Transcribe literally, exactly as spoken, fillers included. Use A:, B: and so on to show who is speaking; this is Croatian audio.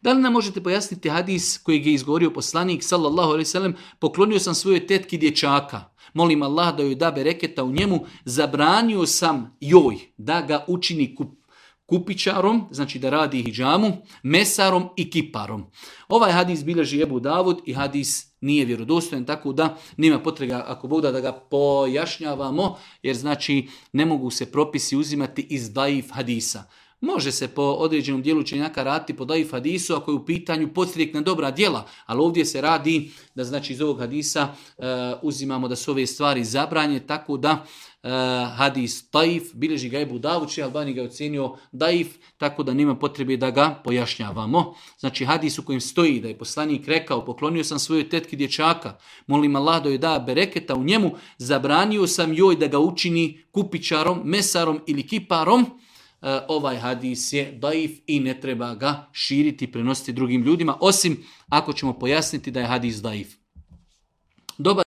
A: Da li nam možete pojasniti hadis kojeg je izgovorio poslanik sallallahu alejhi ve sellem, poklonio sam svojoj tetki dječaka, molim Allah da joj da bereketa u njemu, zabranio sam joj da ga učini kup, kupičarom, znači da radi hidžamu, mesarom i kiparom. Ovaj hadis bilježi Ebu Davud i hadis nije vjerodostojan, tako da nema potrebe ako Bog da, da ga pojašnjavamo, jer znači ne mogu se propisi uzimati iz daif hadisa. Može se po određenom dijelu učenjaka raditi po daif hadisu ako je u pitanju podstrijek na dobra djela, ali ovdje se radi da znači iz ovog hadisa uh, uzimamo da su ove stvari zabranje, tako da uh, hadis daif, bilježi ga Ebu Davud, Šejh Albani ga je ocenio daif, tako da nema potrebe da ga pojašnjavamo. Znači hadis u kojem stoji da je poslanik rekao, poklonio sam svojoj tetki dječaka, molim Allah da joj da bereketa u njemu, zabranio sam joj da ga učini kupičarom, mesarom ili kiparom, ovaj hadis je daif i ne treba ga širiti, prenositi drugim ljudima, osim ako ćemo pojasniti da je hadis daif. Dobar